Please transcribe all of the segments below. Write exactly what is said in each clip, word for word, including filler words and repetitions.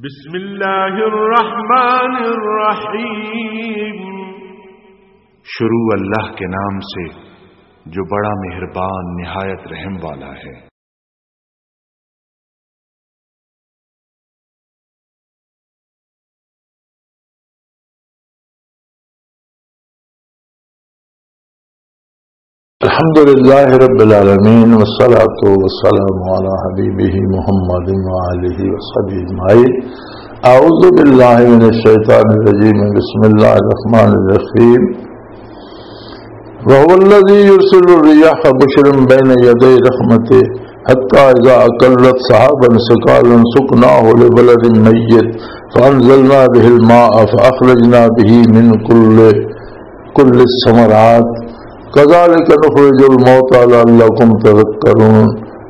بسم اللہ الرحمن الرحیم۔ شروع اللہ کے نام سے، جو بڑا مہربان، نہایت رحم والا ہے۔ الحمد لله رب العالمين، والصلاة والسلام على حبيبه محمد وآله وصحبه أجمعين. أعوذ بالله من الشيطان الرجيم. بسم الله الرحمن الرحيم. وهو الذي يرسل الرياح بشرا بين يدي رحمته حتى إذا أقلت سحابا ثقالا سقناه لبلد ميت فأنزلنا به الماء فأخرجنا به من كل، كل الثمرات كذلك نخرج الموتى لعلكم تذكرون.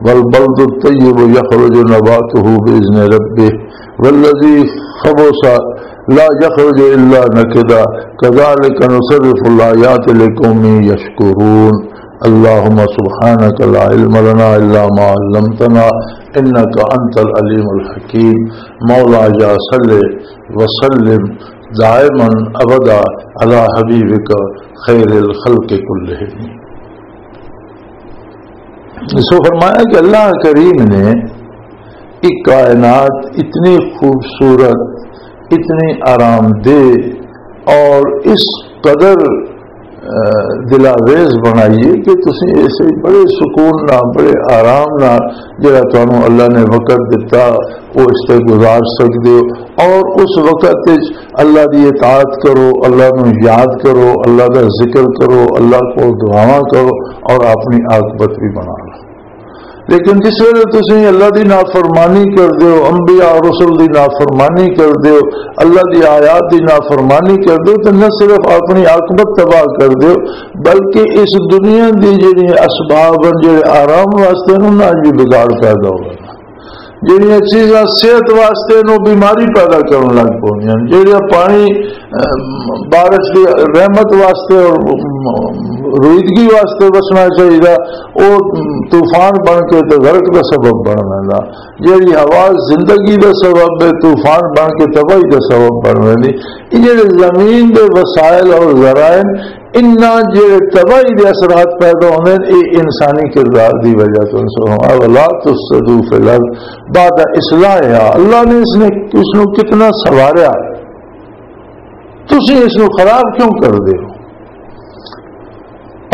والبلد الطيب يخرج نباته بإذن ربه والذي خبث لا يخرج إلا نكدا كذلك نصرف الآيات لقوم يشكرون. اللهم سبحانك لا علم لنا إلا ما علمتنا إنك أنت العليم الحكيم. مولاي صل وسلم دائما أبدا على حبيبك خير الخلق كلهم. سو فرمایا کہ اللہ کریم نے ایک کائنات اتنی خوبصورت، اتنی آرام دہ اور اس قدر، آ، دلاویز بنائی ہے کہ تسی اسے بڑے سکون نال، بڑے آرام نال، جڑا تانوں اللہ نے وقت دتا، وہ اس تے گزار سکدے ہو۔ اور اس وقت وچ اللہ دی اطاعت کرو، اللہ نو یاد کرو، اللہ دا ذکر کرو، اللہ کو دعاواں کرو اور اپنی عاقبت بھی بنا لو۔ لیکن جس ویلے تسی اللہ دی نافرمانی کر دیو، انبیاء اور رسل دی نافرمانی کر دیو، اللہ دی آیات دی نافرمانی کر دیو، تو نہ صرف اپنی عاقبت تباہ کر دیو، بلکہ اس دنیا دی جڑی اسباب ہیں، جڑے آرام واسطے انہاں وچ بھی بگاڑ پیدا ہوگا۔ جڑیاں چیزاں صحت واسطے نو بیماری پیدا کرن لگ پوندیاں، جڑیاں پانی، ام، بارش دی رحمت واسطے اور، ام، رویدگی واسطے بچنا چاہیے، او، ام، طوفان بن کے تے غرق دا سبب بن ویندا۔ جڑی ہوا زندگی دا سبب ہے، طوفان بن کے تباہی دا سبب بن ویندی۔ یہ جڑے زمین دے وسائل اور ذرائع، انہاں جڑے تباہی دے اثرات پیدا ہوندے نے، اے انسانی کردار دی وجہ تو۔ سبحان اللہ، تفسدوا فی الارض بعد اصلاحها۔ اللہ نے اس نے، اس نو کتنا سنواریا، تسی اس نو خراب کیوں کر دے ہو؟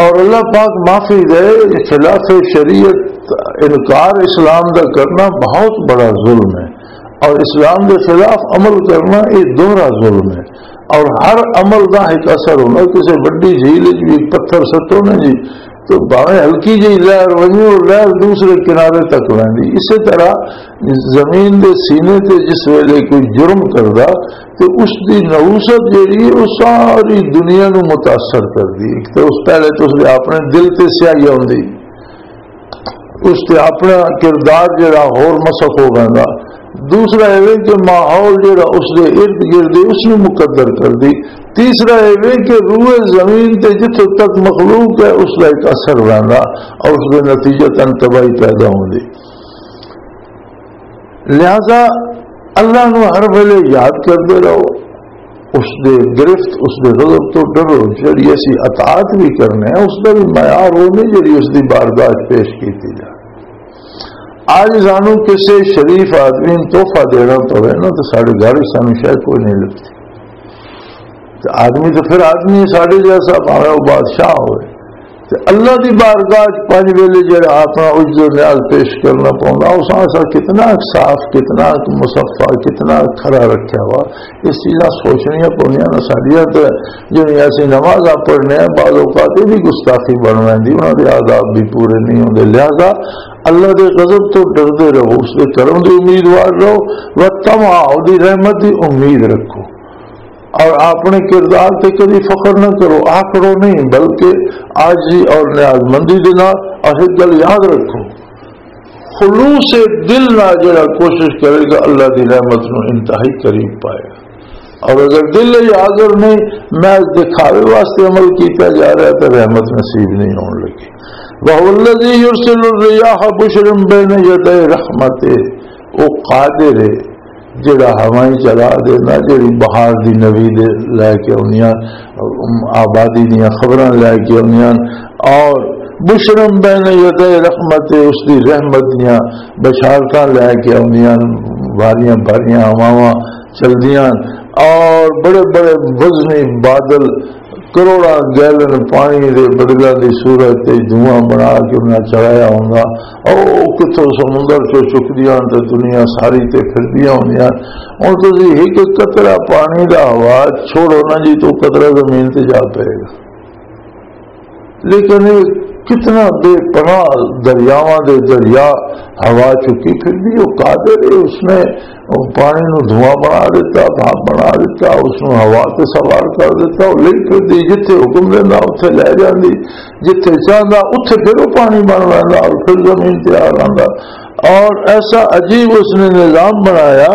اور اللہ پاک معافی دے، خلاف شریعت انکار اسلام دا کرنا بہت بڑا ظلم ہے، اور اسلام دے خلاف عمل کرنا یہ دوہرا ظلم ہے۔ اور ہر عمل دا ایک اثر ہونا، کسی بڑی جھیل وچ بھی ایک پتھر سٹو نا جی، تو بھاویں ہلکی جہی لہر ونجے، اور لہر دوسرے کنارے تک ویندی۔ اسی طرح زمین دے سینے تے جس ویلے کوئی جرم کردا، تے اس دی نحوست جیڑی ہے، وہ ساری دنیا نو متاثر کردی۔ ایک تے اس، پہلے تے اس دے اپنے دل تے سیاہی آندی، اس تے اپنا کردار جیڑا ہور مسخ ہو ویندا۔ دوسرا ایویں کہ ماحول جیڑا اس دے ارد گرد ہے، اس نو مقدر کردی۔ تیسرا ایویں کہ روئے زمین تے جتھوں تک مخلوق ہے، اس دا ایک اثر ویندا اور اس دے نتیجتاً تباہی پیدا ہوندی۔ لہذا اللہ نو ہر ویلے یاد کردے رہو، اس دے گرفت، اس دے غضب تو ڈرو۔ جڑی اسی اطاعت بھی کرنے ہیں، اس دا بھی معیار وہ نہیں جڑی اس دی بارگاہ وچ پیش کیتی جائے۔ آج سانو کسے شریف آدمی نوں تحفہ دینا پوے نا، تو ساڈے گھر وچ سانو شے کوئی نہیں لبھدی۔ تے آدمی تے پھر آدمی ہے، ساڈے جیسا، بھاویں او بادشاہ ہوئے۔ تے اللہ دی بارگاہ وچ پنج ویلے جڑا اپنا عجز و نیاز پیش کرنا پوندا، اس اساں کتنا صاف، کتنا مصفا، کتنا کھرا رکھیا ہوا۔ اس چیزاں سوچنیاں پوندیاں نا ساڈیاں۔ تے جڑیاں اسی نمازاں پڑھنے ہیں، بعض اوقات یہ بھی گستاخی بن ویندی، انہاں دے آداب بھی پورے نہیں ہوندے۔ لہذا اللہ دے غضب تو ڈردے رہو، اس دے کرم دی امیدوار رہو، وطمع، دی رحمت دی امید رکھو۔ اور اپنے کردار تے کبھی فخر نہ کرو، آکڑو نہیں، بلکہ عاجزی اور نیاز مندی دے نال اور ایک گل یاد رکھو، خلوص دل نال جڑا کوشش کرے گا، اللہ دی رحمت نو انتہائی قریب پائے گا۔ اور اگر دل ہی حاضر نہیں، محض دکھاوے واسطے عمل کیتا جا رہا ہے، تو رحمت نصیب نہیں ہون لگی۔ وَهُوَ الَّذِي يُرْسِلُ الرِّيَاحَ بُشْرًا بَيْنَ يَدَيْ رَحْمَتِهِ، وہ قادر ہے جڑا ہوائیں چلا دینا، جڑی بہار دی نوی دے لے کے آنیاں، آبادی دیاں خبراں لے کے آنیاں، اور بشرم بین یدی رحمت، اس دی رحمت دیاں بشارتاں لے کے آنیاں، بھاریاں بھاریاں ہواواں چلدیاں، اور بڑے بڑے وزنی بادل کروڑاں گیلن پانی دے بدلاں دی صورت تے دھواں بنا کے انہاں چڑھایا ہوندا۔ او کتھوں سمندر چوں چکدیاں تے دنیا ساری تے پھردیاں ہوندیاں۔ ہن تسی ایک قطرہ پانی دا ہوا چھوڑو نا جی، تو قطرہ زمین تے جا پئے گا۔ لیکن یہ کتنا بے پناہ دریاواں دے دریا ہوا چکی پھر بھی وہ قادر ہے، اس نے پانی نو دھواں بنا دیتا، بھاپ بنا دیتا، اس نو ہوا تے سوار کر دیتا، وہ لے پھر دی، جتھے حکم دینا اتھے لے جاندی، جتھے چاہندا اتھے پھر وہ پانی بن لیندا اور پھر زمین تے آ جاندا۔ اور ایسا عجیب اس نے نظام بنایا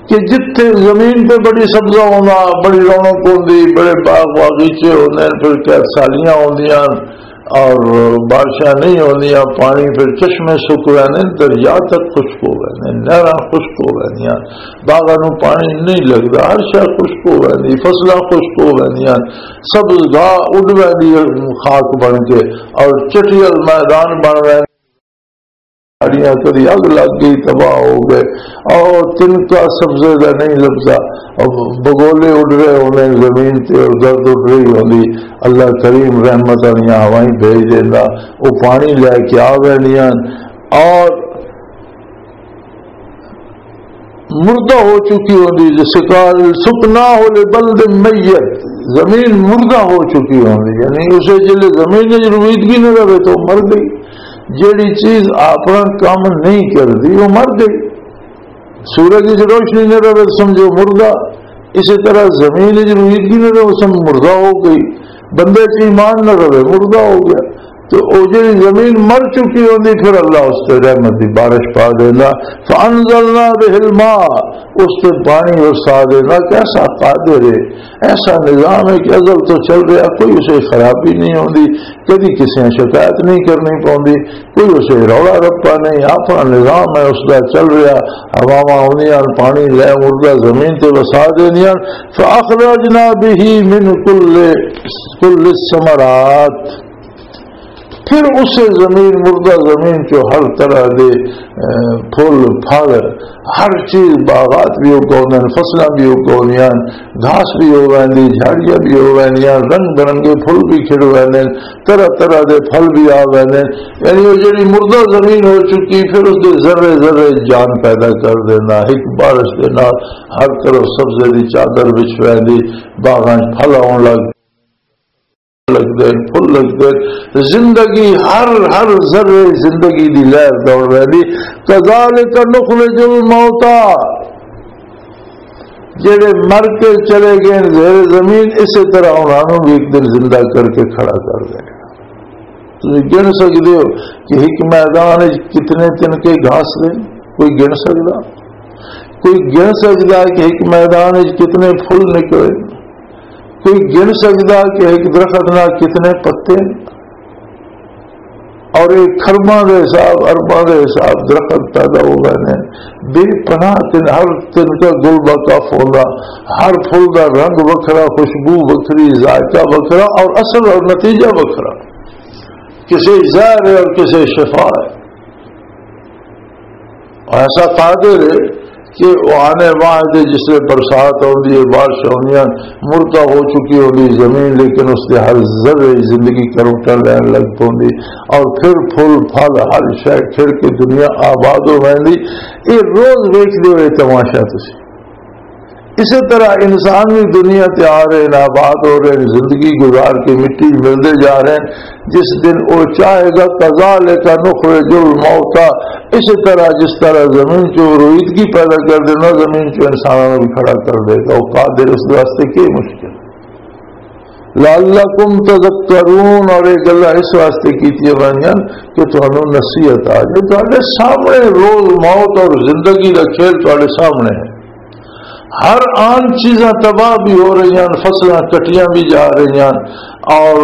کہ جتھے زمین تے بڑی سبزہ ہونا، بڑی رونق ہوندی، بڑے باغ باغیچے ہوندے ہیں، پھر کیا سالیاں ہوندیاں اور بارشاں نہیں ہوندیاں، پانی پھر چشمے سک رہنے، دریا تک خشک ہو گئے نے، نہراں خشک ہو گئے، باغاں نوں پانی نہیں لگدا، ہر شے خشک ہو گئے، فصلاں خشک ہو گئے، سبز گاہ اڈ ویندی خاک بن کے اور چٹیل میدان بن ویندے۔ ساڑیاں کدی اگ لگ گئی، تباہ ہو گئے، اور تنکا سبزے دا نہیں لبدا، اور بگولے اڈ رہے ہوندے زمین تے، اور گرد اڈ رہی ہوندی۔ اللہ کریم رحمت والیاں ہوائیں بھیج دیندا، وہ پانی لے کے آ ویندیاں، اور مردہ ہو چکی ہوندی، جسے قال سقناہ لبلد میت، زمین مردہ ہو چکی ہوندی، یعنی اسے جلے زمین وچ رویدگی نہ رہے تو مر گئی۔ جیڑی چیز اپنا کام نہیں کردی، وہ مر گئی۔ سورج وچ روشنی نہ رہے تو سمجھو مردہ۔ اسی طرح زمین وچ رویدگی نہ رہے، وہ سم مردہ ہو گئی۔ بندے چ ایمان نہ رہے، مردہ ہو گیا۔ تو او جڑی زمین مر چکی ہوندی، پھر اللہ اس تے رحمت دی بارش پا دیندا۔ فانزلنا به الماء، اس تے پانی برسا دیندا۔ کیسا قادر ہے، ایسا نظام ہے کہ ازل تو چل رہا، کوئی اسے خرابی نہیں ہوندی، کدی کسی نے شکایت نہیں کرنی پوندی، کوئی اسے رولا رپا نہیں، اپنا نظام ہے اس دا چل رہا۔ ہواواں آندیاں، پانی لے مردہ زمین تے وسا دیندیاں۔ فاخرجنا به من كل كل الثمرات، پھر اسے زمین، مردہ زمین چوں ہر طرح دے، اے، پھل، پھل، ہر چیز، باغات بھی اگاؤندے ہن، فصلاں بھی اگاؤندیاں ہن، گھاس بھی ہو ویندی، جھاڑیاں بھی ہو ویندیاں، رنگ برنگے پھل بھی کھڑ ویندے ہن، طرح طرح دے پھل بھی آ ویندے ہن۔ یعنی وہ جڑی مردہ زمین ہو چکی، پھر اس دے ذرے ذرے جان پیدا کر دینا، ایک بارش دے نال ہر طرف سبزے دی چادر وچ ویندی، باغاں 'چ پھل آن لگ لگدے، پھل لگدے۔ زندگی، ہر، ہر ذرے زندگی دی لہر دوڑ رہی۔ کذالک نخرج الموتیٰ، جڑے مر کے چلے گئے زیر زمین، اسی طرح انہاں نوں بھی ایک دن زندہ کر کے کھڑا کر دے۔ تسی گن سکدے ہو کہ ایک میدان وچ کتنے تنکے گھاس دے؟ کوئی گن سکدا؟ کوئی گن سکدا کہ ایک میدان وچ کتنے پھل نکلے؟ کوئی گن سکدا کہ ایک درخت نال کتنے پتے؟ اور ایک کھرباں دے حساب، ارباں دے حساب درخت پیدا ہو گئے نے۔ بے پناہ تن، ہر تن کا گل با کف ہوندا، ہر پھل دا رنگ وکھرا، خوشبو وکھری، ذائقہ وکھرا اور اثر اور نتیجہ وکھرا۔ کسے زہر ہے اور کسے شفا ہے۔ ایسا قادر ہے کہ وہ آنے واحد ہے، جس لئے برسات ہوندی ہے، بارش ہوندی ہے، مردہ ہو چکی ہوندی زمین، لیکن اس کے ہر ذرے زندگی کروٹا لین لگ پوندی، اور پھر پھل پھل ہر شے کھڑ کے دنیا آباد ہو ویندی۔ یہ روز ویکھدے ہوئے تماشا تسی۔ اسی طرح انسان بھی دنیا تے آ رہے ہیں، آباد ہو رہے ہیں، زندگی گزار کے مٹی ملتے جا رہے ہیں۔ جس دن وہ چاہے گا، کذالک نخرج الموتیٰ، اسی طرح جس طرح زمین چوں رویدگی پیدا کر دینا، زمین چوں انسانوں کو بھی کھڑا کر دے گا۔ وہ قادر، اس واسطے کی مشکل؟ لعلکم تذکرون، اور یہ گلاں اس واسطے کیتیاں گئیاں کہ تانوں نصیحت آ جائے۔ تہاڈے سامنے روز موت اور زندگی دا کھیل تہاڈے سامنے ہے۔ ہر آن چیزاں تباہ بھی ہو رہی ہیں، فصلاں کٹیاں بھی جا رہی ہیں، اور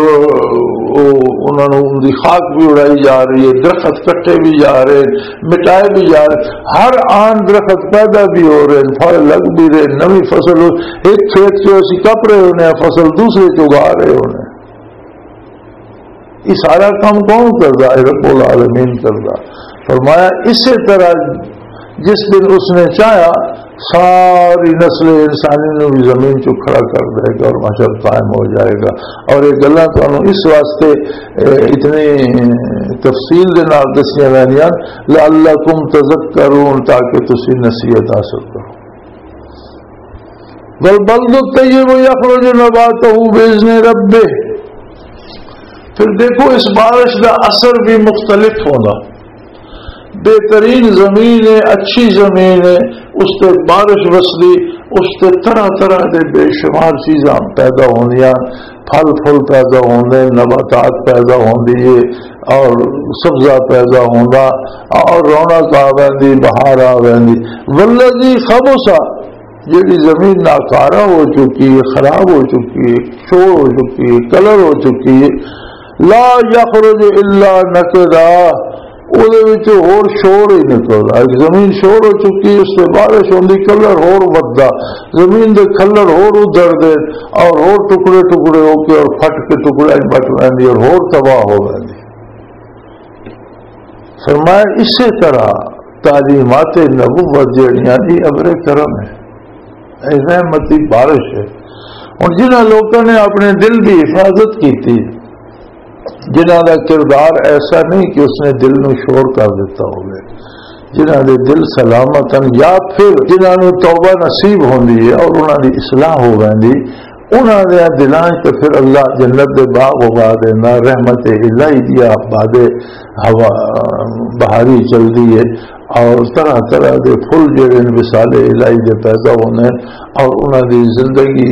او، انہاں نوں ان دی خاک بھی اڑائی جا رہی ہے، درخت کٹے بھی جا رہے ہیں، مٹائے بھی جا رہے ہیں۔ ہر آن درخت پیدا بھی ہو رہے ہیں، پھل لگ بھی رہے ہیں، نوی فصل ہو، ایک کھیت چوں اسی کپ رہے ہونے ہیں فصل، دوسرے چوں اگا رہے ہونے ہیں۔ یہ سارا کام کون کردا ہے؟ رب العالمین کردا۔ فرمایا، اسی طرح جس دن اس نے چاہا، ساری نسل انسانی نو بھی زمین چوں کھڑا کر دے گا اور محشر قائم ہو جائے گا۔ اور یہ گلاں تانوں اس واسطے، اے، اتنی تفصیل دے نال دسیاں ویندیاں، لعلکم تذکرون، تاکہ تسی نصیحت حاصل کرو۔ والبلد الطیب یخرج نباتہ باذن ربہ۔ پھر دیکھو، اس بارش دا اثر بھی مختلف ہونا۔ بہترین زمین ہے، اچھی زمین ہے، اس تے بارش وسدی، اس تے طرح طرح دے بے شمار چیزاں پیدا ہوندیاں، پھل پھل پیدا ہوندے، نباتات پیدا ہوندی ہے اور سبزہ پیدا ہوندا اور رونق آ ویندی، بہار آ ویندی۔ والذی خبث، جیڑی زمین ناکارہ ہو چکی ہے، خراب ہو چکی ہے، شور ہو چکی ہے، کلر ہو چکی ہے، لا یخرج الا نکدا، او دے وچ ہور شور ہی نکلدا۔ ایک زمین شور ہو چکی، اس سے بارش ہوندی، کلر ہور وددا، زمین دے کلر ہور ادھر دے اور ہور ٹکڑے ٹکڑے ہو کے اور پھٹ کے ٹکڑے بٹ ویندی اور ہور تباہ ہو ویندی۔ فرمایا، اسی طرح تعلیمات نبوت جڑیاں، یہ ابر کرم ہے، اے رحمت دی بارش ہے۔ ہن جنہاں لوکاں نے اپنے دل دی حفاظت کیتی، جنہاں دا کردار ایسا نہیں کہ اس نے دل نو شور کر دیتا ہوئے، جنہاں دے دل سلامت ہیں، یا پھر جنہاں نو توبہ نصیب ہوندی ہے اور انہاں دی اصلاح ہو ویندی، انہاں دے دلاں وچ تے پھر اللہ جنت دے باغ اگا دیندا، رحمت الہی دی آباد ہوا بہاری چلدی ہے، اور طرح طرح دے پھل جڑے نے وصال الہی دے پیدا ہوندے نے، اور انہاں دی زندگی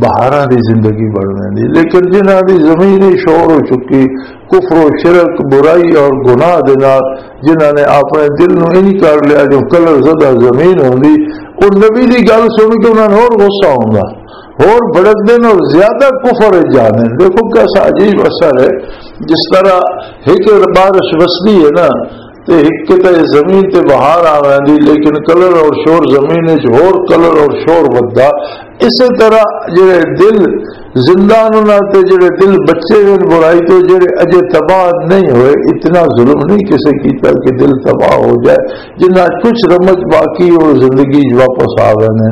بہاراں دی زندگی بن ویندی۔ لیکن جنہاں دی زمین ہی شور ہو چکی، کفر و شرک، برائی اور گناہ دے نال، جنہاں نے اپنے دل نو انج کر لیا جو کلر زدہ زمین ہوندی، او نبی دی گل سن کے انہاں نوں ہور غصہ ہوندا، ہور بھڑکدے نے اور زیادہ کفر وچ جاندے نے۔ دیکھو کیسا عجیب اثر ہے، جس طرح ایک بارش وسدی ہے نا، تے ایک تے زمین تے بہار آ ویندی، لیکن کلر اور شور زمین وچ ہور کلر اور شور وددا۔ اسی طرح جڑے دل زندہ نے انہاں تے جڑے دل بچے ہوئے برائی تو، جڑے اجے تباہ نہیں ہوئے، اتنا ظلم نہیں کسے کیتا کہ دل تباہ ہو جائے۔ جنہاں کچھ رمق باقی ہو، زندگی واپس آ گئے نے،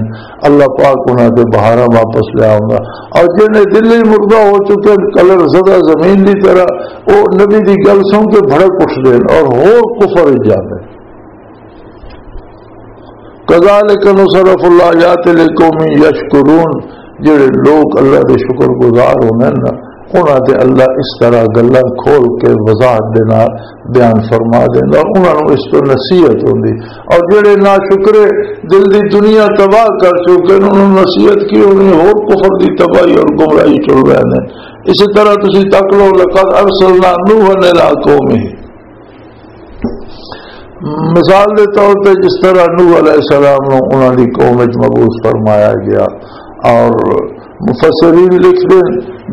اللہ پاک انہاں تے بہاراں واپس لے آؤں گا۔ اور جنہیں دل ہی مردہ ہو چکے، کلر زدہ زمین دی طرح، او نبی دی گل سن کے بھڑک اٹھدے نے اور ہور کفر وچ جاندے۔ کذالک نصرف الآیات لقوم یشکرون، جڑے لوگ اللہ دے شکر گزار ہوندے نا، انہاں تے اللہ اس طرح گلاں کھول کے وضاحت دے نال بیان فرما دیندا، انہاں نوں اس تو نصیحت ہوندی۔ اور جڑے ناشکرے دل دی دنیا تباہ کر چکے نے، انہاں نوں نصیحت کی ہونی، ہور کفر دی تباہی اور گمراہی چل رہے نے۔ اسی طرح تسی تک لو، لقد ارسلنا نوحا الی قومہ، مثال دے طور تے جس طرح نوح علیہ السلام نوں انہاں دی قوم وچ مبعوث فرمایا گیا، اور مفسرین لکھدے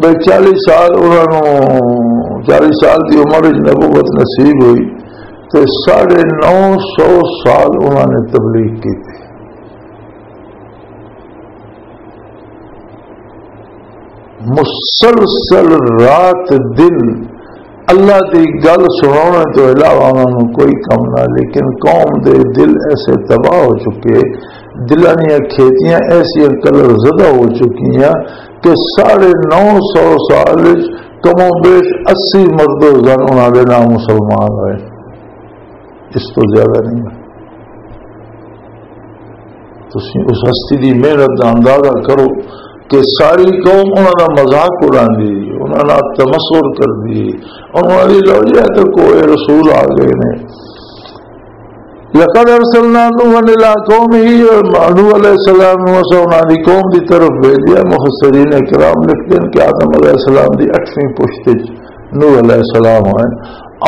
بھئی چالیس سال انہاں نوں، چالیس سال دی عمر وچ نبوت نصیب ہوئی، تے ساڑھے نو سو سال انہاں نے تبلیغ کی۔ مسلسل رات دن اللہ دی گل سنانے تو علاوہ انہاں نوں کوئی کم نہ، لیکن قوم دے دل ایسے تباہ ہو چکے، دلاں دیاں کھیتیاں ایسیاں کلر زدہ ہو چکیاں کہ ساڑھے نو سو سال وچ کم و بیش اسی مرد و زن انہاں دے نام مسلمان ہوئے۔ اس تو زیادہ نہیں ہے۔ تسی اس ہستی دی محنت دا اندازہ کرو کہ ساری قوم انہاں دا مذاق اڑاندی، انہاں نال تمسخر کردی، انہاں دی لو جی تے کوئی رسول آ گئے نے۔ لقد ارسلنا نوحا الی قومہ، نوح علیہ السلام نوں اساں انہاں دی قوم دی طرف بھیجیا۔ مفسرین کرام لکھدے نے کہ آدم علیہ السلام دی اٹھویں پشت وچ نوح علیہ السلام ہوئے،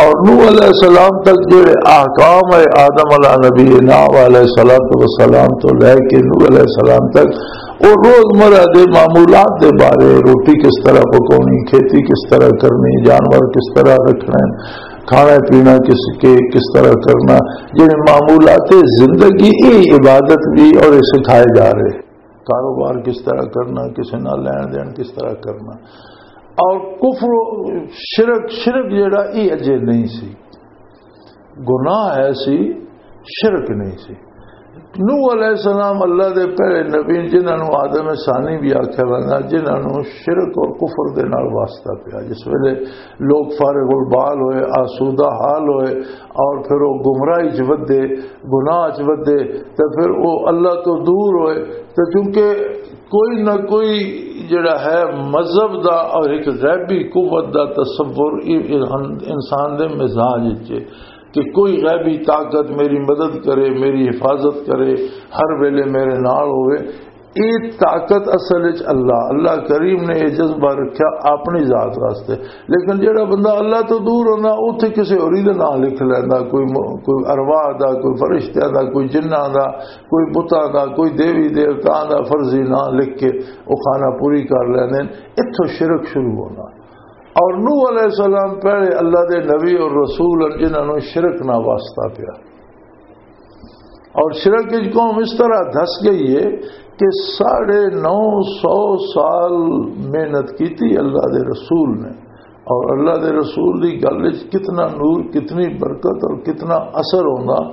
اور نوح علیہ السلام تک جڑے احکام ہے آدم علیہ نبی نوح علیہ الصلوۃ والسلام تو لے کے نوح علیہ السلام تک، اور روزمرہ دے معمولات دے بارے، روٹی کس طرح پکانی، کھیتی کس طرح کرنی، جانور کس طرح رکھنے، کھانا پینا کس کے کس طرح کرنا، یہ معمولات زندگی، یہ عبادت بھی اور یہ سکھائے جا رہے۔ کاروبار کس طرح کرنا، کسی نال لین دین کس طرح کرنا۔ اور کفر، شرک، شرک جڑا، یہ اجے نہیں سی، گناہ ہے سی، شرک نہیں سی۔ نوح علیہ السلام اللہ دے پہلے نبی، جنہاں نوں آدم ثانی بھی آکھیا ویندا، جنہاں نوں شرک اور کفر دے نال واسطہ پیا۔ جس ویلے لوگ فارغ البال ہوئے، آسودہ حال ہوئے، اور پھر وہ گمراہی چ ودے، گناہ چ ودے، تے پھر وہ اللہ تو دور ہوئے۔ تے چونکہ کوئی نہ کوئی جڑا ہے مذہب دا اور ایک غیبی قوت دا تصور، یہ انسان دے مزاج وچ ہے کہ کوئی غیبی طاقت میری مدد کرے، میری حفاظت کرے، ہر ویلے میرے نال ہوئے۔ یہ طاقت اصل وچ اللہ، اللہ کریم نے یہ جذبہ رکھیا اپنی ذات واسطے۔ لیکن جڑا بندہ اللہ تو دور ہوندا، اوتھے کسے ہوری دا نام لکھ لیندا، کوئی م-، کوئی ارواح دا، کوئی فرشتیاں دا، کوئی جناں دا، کوئی بتاں دا، کوئی دیوی دیوتاں دا فرضی نام لکھ کے وہ خانہ پوری کر لیندے نے۔ اتھوں شرک شروع ہونا۔ اور نوح علیہ السلام پہلے اللہ دے نبی اور رسول ہن، جنہاں نوں شرک نہ واسطہ پیا۔ اور شرک کی قوم اس طرح دھس گئی ہے کہ ساڑھے نو سو سال محنت کی تھی اللہ دے رسول نے، اور اللہ دے رسول دی گل وچ کتنا نور، کتنی برکت اور کتنا اثر ہوندا،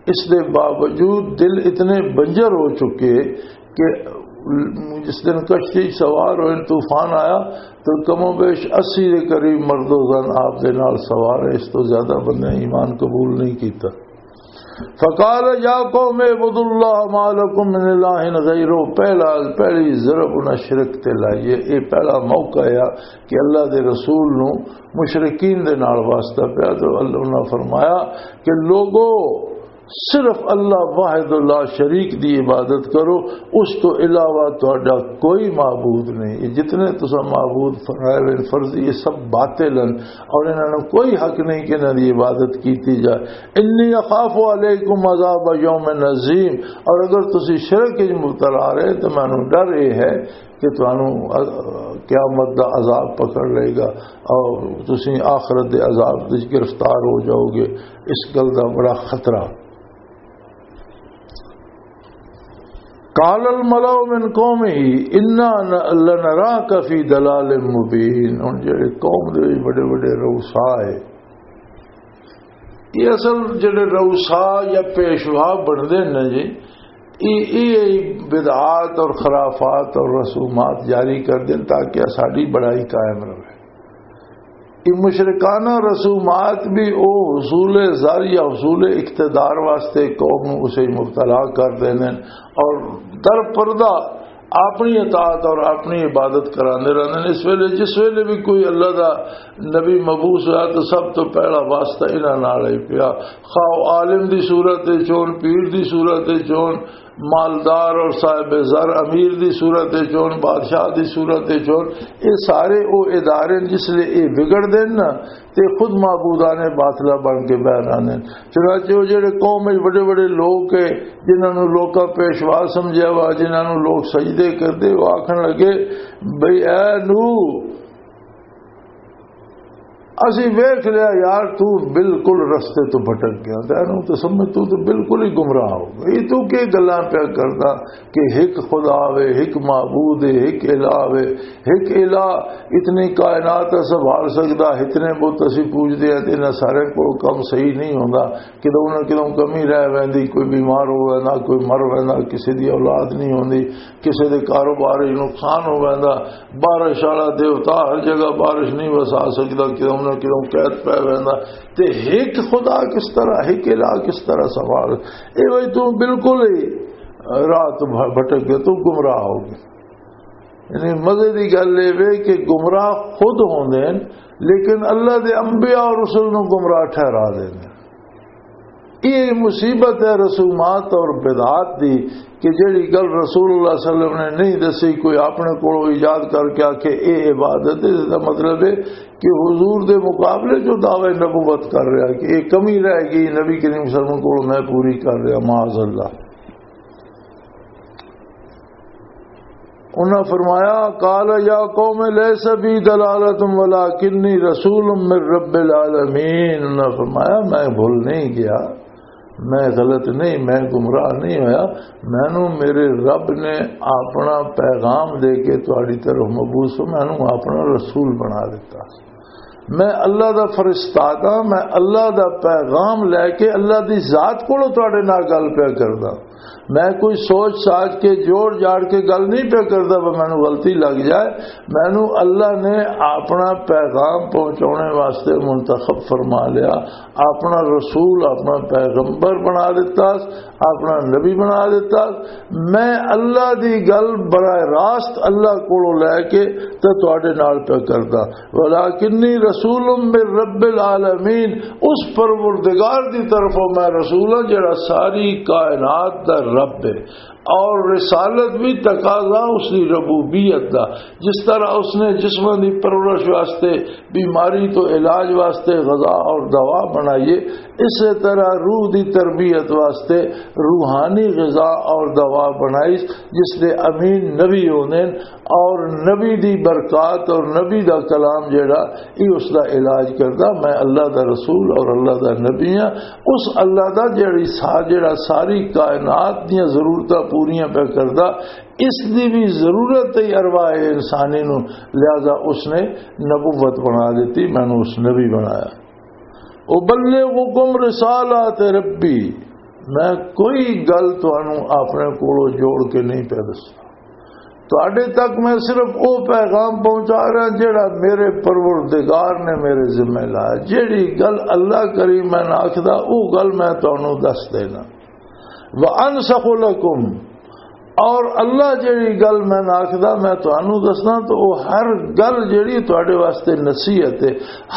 اس دے باوجود دل اتنے بنجر ہو چکے کہ جس دن کشتی سوار ہوئے، طوفان آیا، تو کم و بیش اسی دے قریب مرد و زن آپ دے نال سوار ہے، اس تو زیادہ بندے ایمان قبول نہیں کیتا۔ فقال یا قوم اعبدوا اللہ ما لکم من الہ غیرہ، پہلا، پہلی ضرب انہاں شرک تے لائیے۔ یہ پہلا موقع ہے کہ اللہ دے رسول نو مشرکین دے نال واسطہ پیا۔ تو اللہ نے فرمایا کہ لوگو، صرف اللہ واحد لا شریک دی عبادت کرو، اس تو علاوہ تہاڈا کوئی معبود نہیں۔ یہ جتنے تساں معبود فرائے ہوئے فرضی، یہ سب باطل ہیں اور انہاں نوں کوئی حق نہیں کہ انہاں دی عبادت کیتی جائے۔ انی اخاف علیکم عذاب یوم عظیم، اور اگر تسی شرک وچ مبتلا رہے تو مینوں ڈر یہ ہے کہ تانوں، آ، قیامت دا عذاب پکڑ لے گا اور تسی آخرت دے عذاب وچ گرفتار ہو جاؤ گے۔ اس گل دا بڑا خطرہ۔ قال الملأ من قومه انا لنراك في ضلال مبين۔ ہن جڑے قوم دے وچ بڑے بڑے رؤسا ہے، یہ اصل جڑے رؤسا یا پیشوا بنتے ہیں نا جی، یہ، یہ بدعات اور خرافات اور رسومات جاری کر دیں تاکہ ساری بڑائی قائم رہے۔ یہ مشرکانہ رسومات بھی وہ حصول زر یا حصول اقتدار واسطے قوم نوں اسے مبتلا کر دیں اور در پردہ اپنی اطاعت اور اپنی عبادت کراندے رہندے نے۔ اس ویلے، جس ویلے بھی کوئی اللہ دا نبی مبعوث ہویا تو سب تو پہلا واسطہ انہاں نال ہی پیا، خواہ عالم دی صورت وچ ہون، پیر دی صورت وچ ہون، مالدار اور صاحب زر امیر دی صورت وچ ہون، بادشاہ دی صورت وچ ہون۔ یہ سارے وہ ادارے نے، جس لئے یہ بگڑ دین نا، تے خود معبودان باطلہ بن کے بہر آندے نے۔ چنانچہ وہ جڑے قوم وچ بڑے بڑے لوگ ہے، جنہاں نوں لوکاں پیشوا سمجھیا وا، جنہاں نوں لوگ سجدے کردے، وہ آکھن لگے، بھئی اے نوح، اسی ویکھ لیا یار، تو بالکل رستے تو بھٹک گیا، تینوں تو سمجھ، تو تو بالکل ہی گمراہ ہو گئی۔ تو کی گلاں پیا کردا کہ ہک خدا وے، ہک معبود ہے، ہک الہ وے، ہک الہ اتنی کائنات سنبھال سکدا، اتنے بت اسی پوجدے ہیں تے انہاں سارے کو کم صحیح نہیں ہوندا۔ کدوں نہ کدوں کمی رہ ویندی، کوئی بیمار ہو ویندا، کوئی مر ویندا، کسی دی اولاد نہیں ہوندی، کسی دے کاروبار وچ نقصان ہو ویندا، بارش والا دیوتا ہر جگہ بارش نہیں وسا سکدا، کدوں نہ کدوں قید پہ ویندا۔ تے ہک خدا کس طرح، ہک الہ کس طرح سوال؟ اے بھائی تو بالکل ہی رات بھ-، بھٹک گئے، تو گمراہ ہو گئے۔ یعنی مزے دی گل اے وے کہ گمراہ خود ہوندے ہیں، لیکن اللہ دے انبیاء اور رسول نوں گمراہ ٹھہرا دیندے ہیں۔ یہ مصیبت ہے رسومات اور بدعات دی، کہ جڑی گل رسول اللہ صلی اللہ علیہ وسلم نے نہیں دسی، کوئی اپنے کولوں ایجاد کر کے آکھے اے عبادت ہے، اس دا مطلب ہے کہ حضور دے مقابلے جو دعوی نبوت کر رہا ہے کہ ایک کمی رہ گئی نبی کریم صلی اللہ علیہ وسلم کو میں پوری کر رہا، معاذ اللہ۔ انہاں فرمایا، "قال یا قوم لیس بی ضلالۃ ولکنی رسول من رب العالمین۔" انہاں فرمایا، "میں بھول نہیں گیا، میں غلط نہیں، میں گمراہ نہیں ہویا۔ مینوں میرے رب نے اپنا پیغام دے کے تہاڈی طرف مبعوث ہو، مینوں اپنا رسول بنا دیتا۔ میں اللہ دا فرشتہ ہاں، میں اللہ دا پیغام لے کے اللہ دی ذات کولوں تہاڈے نال گل پیا کردا۔" میں کوئی سوچ ساچ کے، جوڑ جاڑ کے گل نہیں پیا کردا، پر مینوں غلطی لگ جائے۔ مینوں اللہ نے اپنا پیغام پہنچانے واسطے منتخب فرما لیا، اپنا رسول، اپنا پیغمبر بنا دیتا، اپنا نبی بنا دیتا۔ میں اللہ دی گل براہ راست اللہ کولوں لے کے تے تہاڈے نال پیا کردا۔ "ولکنی رسول من رب العالمین۔" اس پروردگار دی طرفوں میں رسول ہاں، جڑا ساری کائنات دا رب ہے، اور رسالت بھی تقاضا اس دی ربوبیت دا۔ جس طرح اس نے جسماں دی پرورش واسطے، بیماری تو علاج واسطے غذا اور دوا بنائی ہے، اسی طرح روح دی تربیت واسطے روحانی غذا اور دوا بنائی، جس دے امین نبی ہوندے نے، اور نبی دی برکات اور نبی دا کلام جڑا، یہ اس دا علاج کردا۔ میں اللہ دا رسول اور اللہ دا نبی ہاں۔ اس اللہ دا جڑی سا-، جڑا ساری کائنات دیاں ضرورتاں پوریاں پہ کردا، اس دی بھی ضرورت ہے ارواح انسانی نو، لہذا اس نے نبوت بنا دیتی، مینوں اس نبی بنایا۔ "ابلغکم رسالات ربی۔" میں کوئی گل تانوں اپنے کولوں جوڑ کے نہیں پیا دسدا۔ تہاڈے تک میں صرف او پیغام پہنچا رہا جڑا میرے پروردگار نے میرے ذمہ لایا۔ جیڑی گل اللہ کریم میں نہ آکھدا، او گل میں تانوں دس دینا۔ "وانسخ لکم۔" اور اللہ جیڑی گل میں نہ آکھدا، میں تانوں دسنا، تو او ہر گل جیڑی تہاڈے واسطے نصیحت ہے،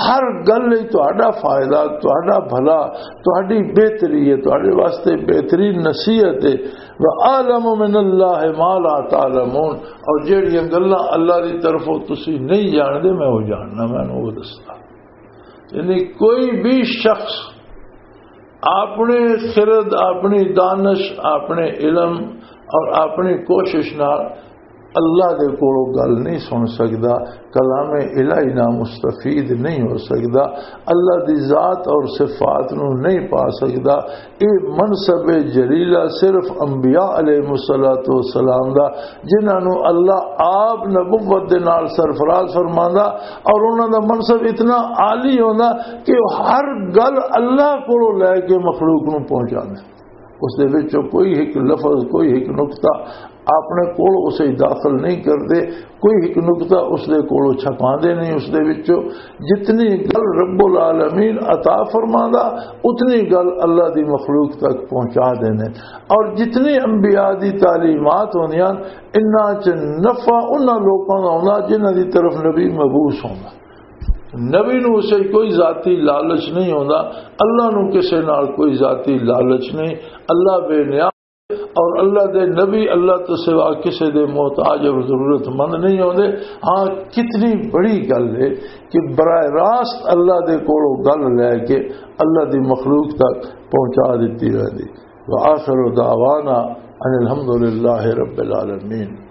ہر گل لئی تہاڈا فائدہ، تہاڈا بھلا، تہاڈی بہتری ہے، تہاڈے واسطے بہترین نصیحت ہے۔ "وَأَعْلَمُ مِنَ اللَّهِ مَا لَا تَعْلَمُونَ۔" اور جیڑیاں گلاں اللہ دی طرفوں تسی نہیں جاندے، میں وہ جاننا، میں وہ دسنا۔ یعنی کوئی بھی شخص اپنے خرد، اپنی دانش، اپنے علم اور اپنی کوشش نال اللہ دے کولوں گل نہیں سن سکدا، کلام الہی نہ مستفید نہیں ہو سکدا، اللہ دی ذات اور صفات نو نہیں پا سکدا۔ اے منصب جلیلہ صرف انبیاء علیہ الصلوۃ والسلام دا، جنہاں نو اللہ آپ نبوت دے نال سرفراز فرماندا، اور انہاں دا منصب اتنا عالی ہوندا کہ وہ ہر گل اللہ کولوں لے کے مخلوق نو پہنچاندے۔ اس دے وچوں کوئی ایک لفظ، کوئی ایک نقطہ اپنے کول اسے داخل نہیں کردے، کوئی ایک نقطہ اس دے کولوں چھپاندے نہیں۔ اس دے وچوں جتنی گل رب العالمین عطا فرماندا، اتنی گل اللہ دی مخلوق تک پہنچا دیندے۔ اور جتنی انبیاء دی تعلیمات ہوندیاں، انہاں چ نفع انہاں لوکاں دا ہوندا جنہاں دی طرف نبی مبعوث ہوندا۔ نبی نو اسے کوئی ذاتی لالچ نہیں ہوندا، اللہ نو کسے نال کوئی ذاتی لالچ نہیں۔ اللہ بے نیاز اور اللہ دے نبی اللہ تو سوا کسے دے محتاج اور ضرورت مند نہیں ہوندے۔ ہاں، کتنی بڑی گل ہے کہ براہ راست اللہ دے کولوں گل لے کے اللہ دی مخلوق تک پہنچا دتی ویندی۔ وآخر دعوانا ان الحمد للہ رب العالمین۔